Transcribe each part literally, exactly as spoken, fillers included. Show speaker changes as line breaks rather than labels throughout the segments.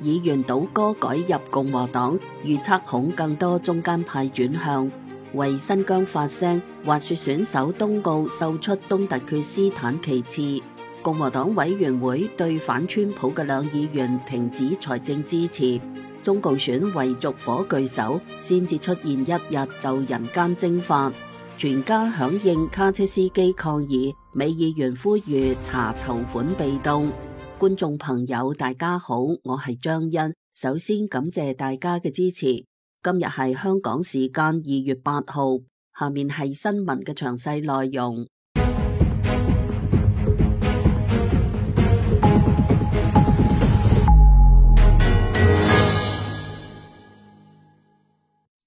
議員倒戈改入共和黨，預測恐更多中間派轉向。為新疆發聲，滑雪選手東奧秀出東突厥斯坦旗幟。共和黨委員會對反川普嘅兩議員停止財政支持。中共選為續火炬手，先至出現一日就人間蒸發。全家響應卡車司機抗議，美議員呼籲查籌款被動。觀眾朋友大家好，我係張欣，首先感謝大家嘅支持。今日係香港時間二月八號，下面係新聞嘅詳細內容。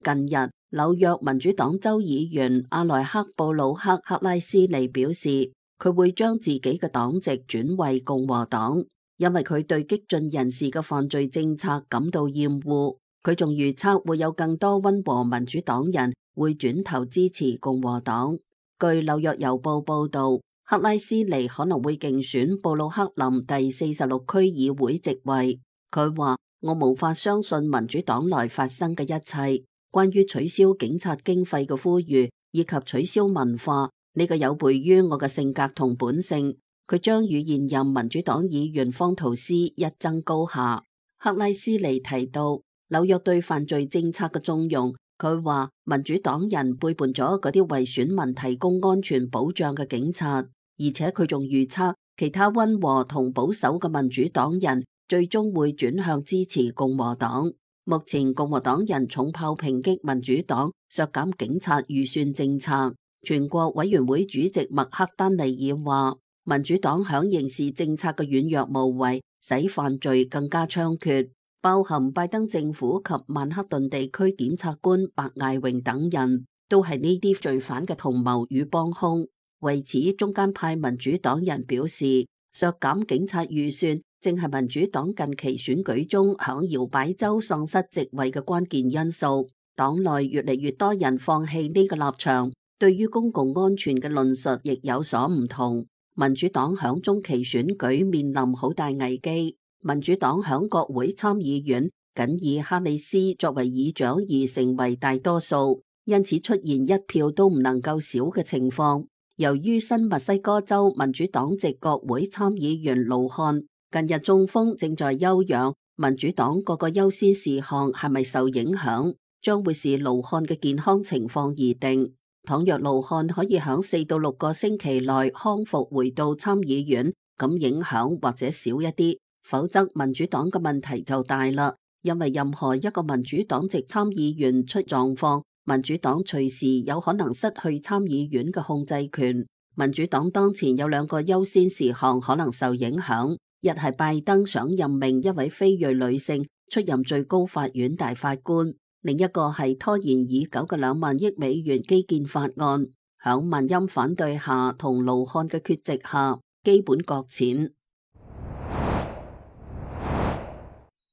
近日，紐約民主黨州議員阿萊克布魯克克拉斯尼表示，佢會將自己嘅黨籍轉為共和黨，因為佢對激進人士嘅犯罪政策感到厭惡。佢仲預測會有更多溫和民主黨人會轉頭支持共和黨。據紐約郵報報道，克拉斯尼可能會競選布魯克林第四十六區議會席位。佢話：我無法相信民主黨內發生嘅一切，關於取消警察經費嘅呼籲以及取消文化，呢個有悖於我嘅性格同本性。佢將與現任民主黨議員方圖斯一爭高下。克拉斯尼提到紐約對犯罪政策嘅縱容，佢話民主黨人背叛咗嗰啲為選民提供安全保障嘅警察，而且佢仲預測其他溫和同保守嘅民主黨人最終會轉向支持共和黨。目前共和黨人重炮抨擊民主黨削減警察預算政策。全國委員會主席麥克丹尼爾話，民主黨響刑事政策嘅軟弱無為，使犯罪更加猖獗。包含拜登政府及曼克頓地區檢察官白艾榮等人，都係呢啲罪犯嘅同謀與幫兇。為此，中間派民主黨人表示，削減警察預算正係民主黨近期選舉中響搖擺州喪失席位嘅關鍵因素。黨內越嚟越多人放棄呢個立場，對於公共安全嘅論述亦有所唔同。民主黨響中期選舉面臨好大危機。民主黨響國會參議院僅以哈里斯作為議長而成為大多數，因此出現一票都唔能夠少嘅情況。由於新墨西哥州民主黨籍國會參議員盧漢近日中風正在休養，民主黨各個優先事項係咪受影響，將會視盧漢嘅健康情況而定。倘若盧漢可以響四到六個星期內康復回到參議院，咁影響或者少一啲。否則民主黨嘅問題就大啦，因為任何一個民主黨籍參議員出狀況，民主黨隨時有可能失去參議院嘅控制權。民主黨當前有兩個優先事項可能受影響，一係拜登想任命一位非裔女性出任最高法院大法官，另一個係拖延已久嘅兩萬億美元基建法案，響萬音反對下同盧漢嘅缺席下，基本擱淺。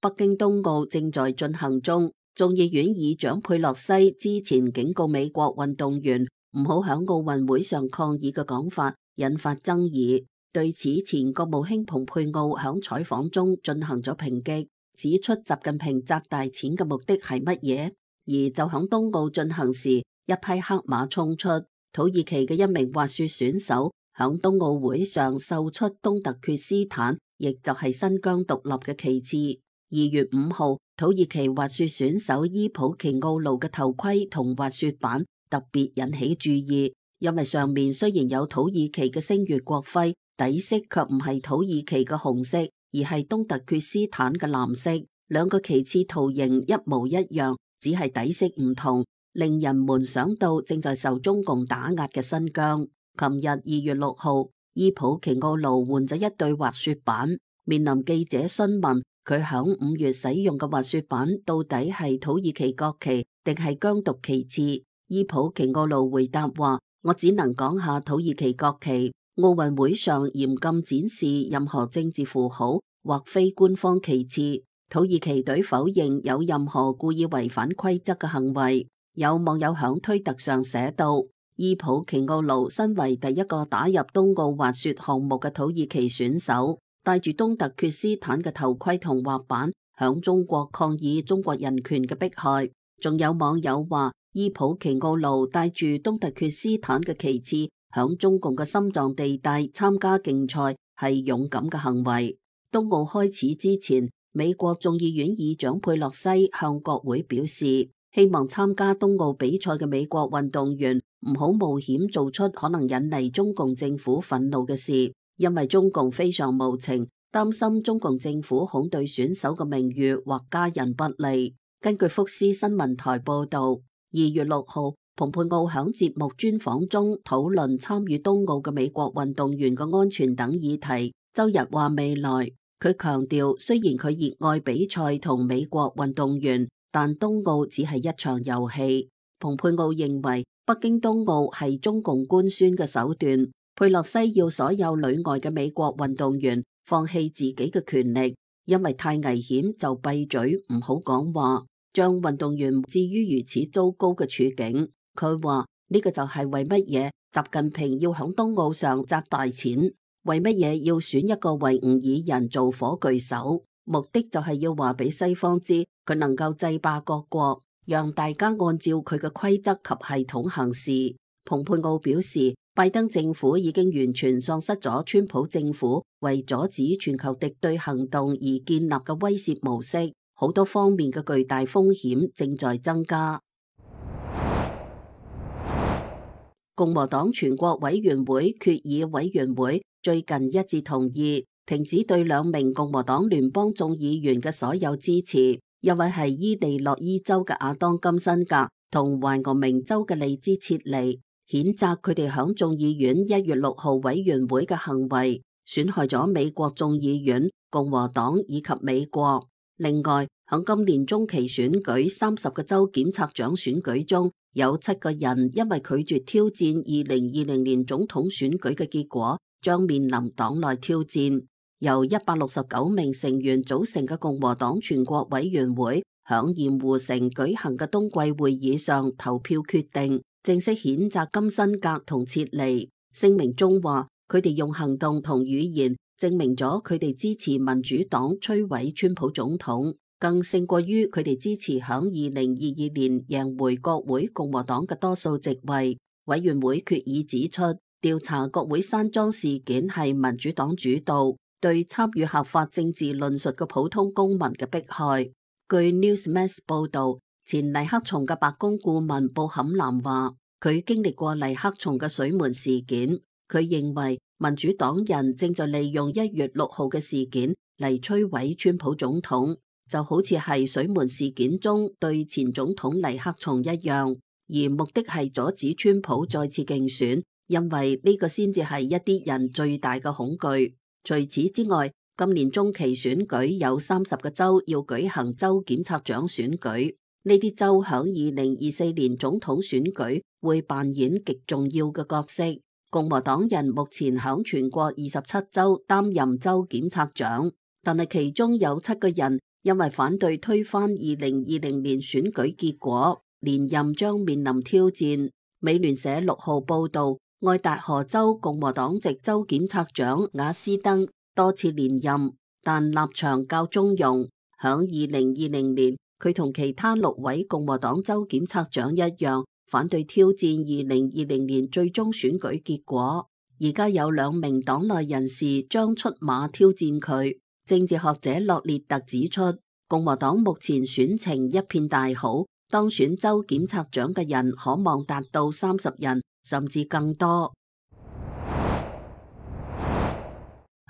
北京冬奧正在進行中，眾議院議長佩洛西之前警告美國運動員唔好響奧運會上抗議嘅講法引發爭議。對此，前國務卿蓬佩奧響採訪中進行咗抨擊，指出習近平砸大錢嘅目的係乜嘢？而就響冬奧進行時，一批黑馬衝出，土耳其嘅一名滑雪選手響冬奧會上秀出東突厥斯坦，亦就係新疆獨立嘅旗幟。二月五號，土耳其滑雪選手伊普奇奧路嘅頭盔同滑雪板特別引起注意，因為上面雖然有土耳其嘅星月國徽，底色卻唔係土耳其嘅紅色，而係東突厥斯坦嘅藍色。兩個旗幟圖形一模一樣，只係底色唔同，令人們想到正在受中共打壓嘅新疆。琴日二月六號，伊普奇奧路換咗一對滑雪板，面臨記者詢問。佢響五月使用嘅滑雪板到底係土耳其國旗定係疆獨旗幟？伊普奇奧路回答話：我只能講下土耳其國旗。奧運會上嚴禁展示任何政治符號或非官方旗幟。土耳其隊否認有任何故意違反規則嘅行為。有網友響推特上寫道：伊普奇奧路身為第一個打入冬奧滑雪項目嘅土耳其選手，戴住東突厥斯坦嘅頭盔同滑板，響中國抗議中國人權嘅迫害。仲有網友話，伊普奇奧盧帶住東突厥斯坦嘅旗幟響中共嘅心臟地帶參加競賽係勇敢嘅行為。東奧開始之前，美國眾議院議長佩洛西向國會表示，希望參加東奧比賽嘅美國運動員唔好冒險做出可能引嚟中共政府憤怒嘅事，因為中共非常無情，擔心中共政府恐對選手嘅名譽或家人不利。根據福斯新聞台報道，二月六號，蓬佩奧響節目專訪中討論參與東奧嘅美國運動員嘅安全等議題。周日話未來，佢強調雖然佢熱愛比賽同美國運動員，但東奧只係一場遊戲。蓬佩奧認為北京冬奧係中共官宣嘅手段。佩洛西要所有旅外嘅美國運動員放棄自己嘅權力，因為太危險就閉嘴唔好講話，將運動員置於如此糟糕嘅處境。佢話呢個就係為乜嘢習近平要響冬奧上砸大錢，為乜嘢要選一個維吾爾人做火炬手，目的就係要話俾西方知佢能夠制霸各國，讓大家按照佢嘅規則及系統行事。蓬佩奧表示，拜登政府已經完全喪失咗川普政府為阻止全球敵對行動而建立嘅威懾模式，好多方面嘅巨大風險正在增加。共和黨全國委員會決議委員會最近一致同意停止對兩名共和黨聯邦眾議員嘅所有支持，一位係伊利諾伊州嘅亞當金辛格同懷俄明州嘅利茲切尼，譴責佢哋響眾議院一月六號委員會嘅行為，損害咗美國眾議院、共和黨以及美國。另外，響今年中期選舉三十個州檢察長選舉中，有七個人因為拒絕挑戰二零二零年總統選舉嘅結果，將面臨黨內挑戰。由一百六十九名成員組成嘅共和黨全國委員會響鹽湖城舉行嘅冬季會議上投票決定，正式譴責金辛格同切尼。聲明中話，佢哋用行動同語言證明咗佢哋支持民主黨摧毀川普總統，更勝過於佢哋支持響二零二二年贏回國會共和黨嘅多數席位。委員會決議指出，調查國會山莊事件係民主黨主導，對參與合法政治論述嘅普通公民嘅迫害。據 Newsmax 報道，前尼克松嘅白宮顧問布坎南話，佢經歷過尼克松嘅水門事件，佢認為民主黨人正在利用一月六號嘅事件嚟摧毀川普總統，就好似係水門事件中對前總統尼克松一樣，而目的係阻止川普再次競選，因為呢個先至係一啲人最大嘅恐懼。除此之外，今年中期選舉有三十個州要舉行州檢察長選舉，呢啲州響二零二四年總統選舉會扮演極重要嘅角色。共和黨人目前響全國二十七州擔任州檢察長，但係其中有七個人因為反對推翻二零二零年選舉結果，連任將面臨挑戰。美聯社六號報道，愛達荷州共和黨籍州檢察長瓦斯登多次連任，但立場較中庸。響二零二零年，佢同其他六位共和黨州檢察長一樣，反對挑戰二零二零年最終選舉結果。而家有兩名黨內人士將出馬挑戰佢。政治學者洛列特指出，共和黨目前選情一片大好，當選州檢察長嘅人可望達到三十人，甚至更多。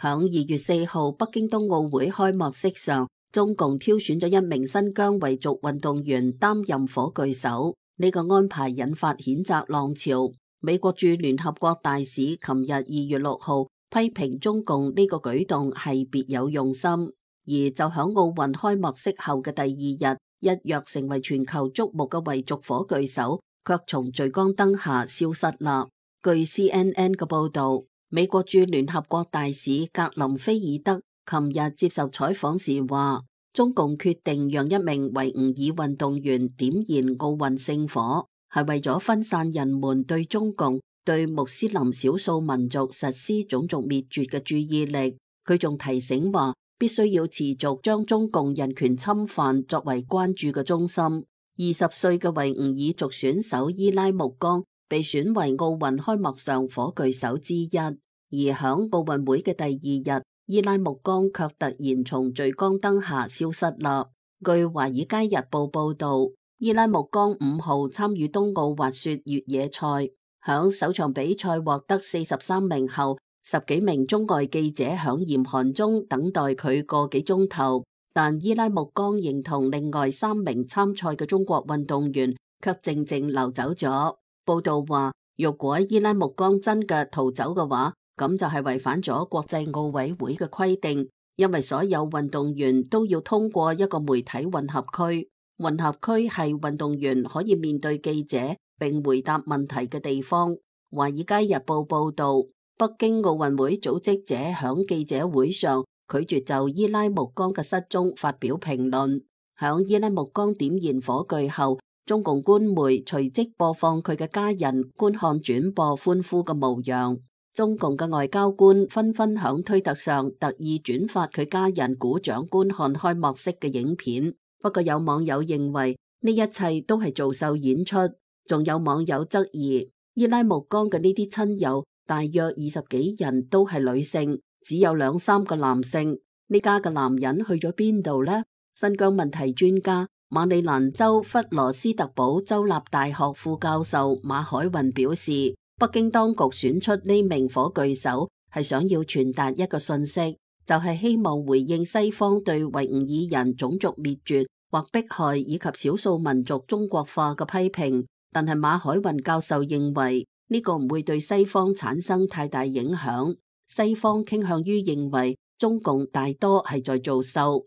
響二月四號北京冬奧會開幕式上，中共挑選咗一名新疆維族運動員擔任火炬手，呢個安排引發譴責浪潮。美國駐聯合國大使琴日二月六號批評中共呢個舉動係別有用心，而就響奧運開幕式後嘅第二日，一躍成為全球矚目嘅維族火炬手，卻從聚光燈下消失啦。據 C N N 嘅報道，美國駐聯合國大使格林菲爾德琴日接受採訪時話，中共決定讓一名維吾爾運動員點燃奧運聖火，係為咗分散人們對中共對穆斯林少數民族實施種族滅絕嘅注意力。佢仲提醒話，必須要持續將中共人權侵犯作為關注嘅中心。二十歲嘅維吾爾族選手伊拉木江被選為奧運開幕上火炬手之一，而響奧運會嘅第二日，伊拉木江卻突然從聚光燈下消失啦。據華爾街日報報道，伊拉木江五號參與冬奧滑雪越野賽，響首場比賽獲得四十三名後，十幾名中外記者響嚴寒中等待佢個幾鐘頭，但伊拉木江認同另外三名參賽嘅中國運動員卻靜靜流走咗。報道話，如果伊拉木江真嘅逃走嘅話，咁就係違反咗國際奧委會嘅規定，因為所有運動員都要通過一個媒體混合區，混合區係運動員可以面對記者並回答問題嘅地方。華爾街日報報道，北京奧運會組織者響記者會上拒絕就伊拉木江嘅失蹤發表評論。響伊拉木江點燃火炬後，中共官媒隨即播放佢嘅家人觀看轉播歡呼嘅模樣。中共嘅外交官紛紛響推特上特意轉發佢家人鼓掌觀看開幕式嘅影片。不過有網友認為呢一切都係做秀演出，仲有網友質疑伊拉木江嘅呢啲親友大約二十幾人都係女性，只有兩三個男性。呢家嘅男人去咗邊度呢？新疆問題專家馬里蘭州弗羅斯特堡州立大學副教授馬海雲表示，北京當局選出呢名火炬手係想要傳達一個信息，就係希望回應西方對維吾爾人種族滅絕或迫害以及少數民族中國化嘅批評。但係馬海雲教授認為呢個唔會對西方產生太大影響，西方傾向於認為中共大多係在做秀。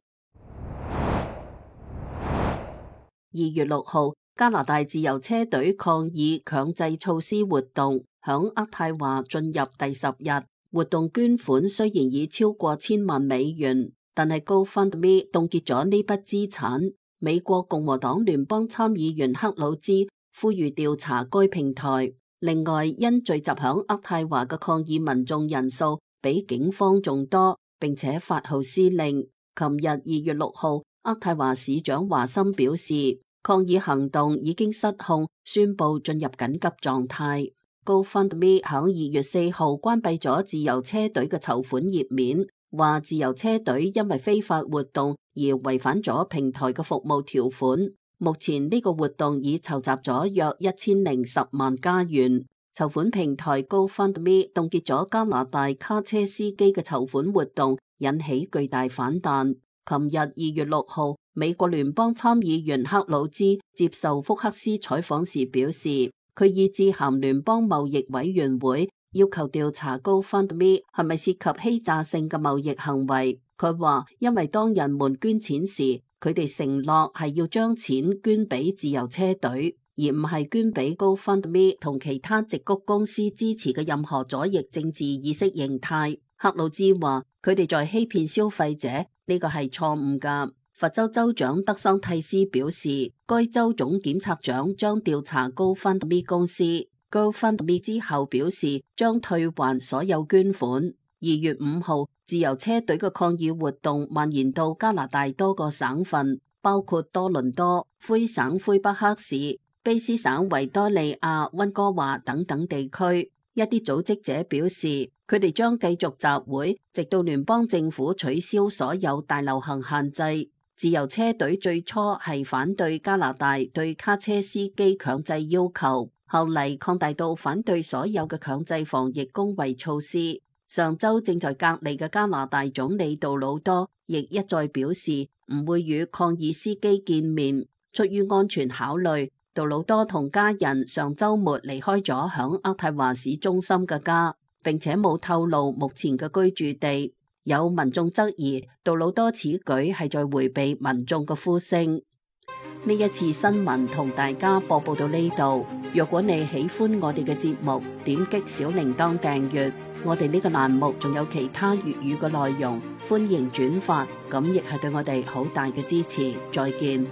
二月六號，加拿大自由車隊抗議強制措施活動響渥太華進入第十日，活動捐款雖然已超過千萬美元，但係 GoFundMe 凍結咗呢筆資產。美國共和黨聯邦參議員克魯茲呼籲調查該平台。另外，因聚集響渥太華嘅抗議民眾人數比警方仲多，並且發號施令。琴日二月六號，渥太華市長華森表示，抗議行動已經失控，宣布進入緊急狀態。GoFundMe 響二月四號關閉咗自由車隊嘅籌款頁面，話自由車隊因為非法活動而違反咗平台嘅服務條款。目前呢個活動已籌集咗約一千零十萬加元。籌款平台 GoFundMe 凍結咗加拿大卡車司機嘅籌款活動，引起巨大反彈。琴日二月六號，美國聯邦參議員克魯茲接受福克斯採訪時表示，佢已致函聯邦貿易委員會，要求調查 GoFundMe 係咪涉及欺詐性嘅貿易行為。佢話，因為當人們捐錢時，佢哋承諾係要將錢捐俾自由車隊，而唔係捐俾 GoFundMe 同其他矽谷公司支持嘅任何左翼政治意識形態。克魯茲話，佢哋在欺騙消費者，呢個係錯誤㗎。佛州州長德桑蒂斯表示，該州總檢察長將調查 GoFundMe 公司。GoFundMe 之後表示將退還所有捐款。二月五號，自由車隊嘅抗議活動蔓延到加拿大多個省份，包括多倫多、魁省魁北克市、卑斯省維多利亞、溫哥華等等地區。一啲組織者表示，佢哋將繼續集會，直到聯邦政府取消所有大流行限制。自由車隊最初係反對加拿大對卡車司機強制要求，後嚟擴大到反對所有嘅強制防疫工衛措施。上周正在隔離嘅加拿大總理杜魯多亦一再表示唔會與抗議司機見面。出於安全考慮，杜魯多同家人上周末離開咗響渥太華市中心嘅家，並且冇透露目前嘅居住地。有民眾質疑杜魯多此舉係在迴避民眾嘅呼聲。呢一次新聞同大家播報到呢度。若果你喜歡我哋嘅節目，點擊小鈴鐺訂閱。我哋呢個欄目仲有其他粵語嘅內容，歡迎轉發，咁亦係對我哋好大嘅支持。再見。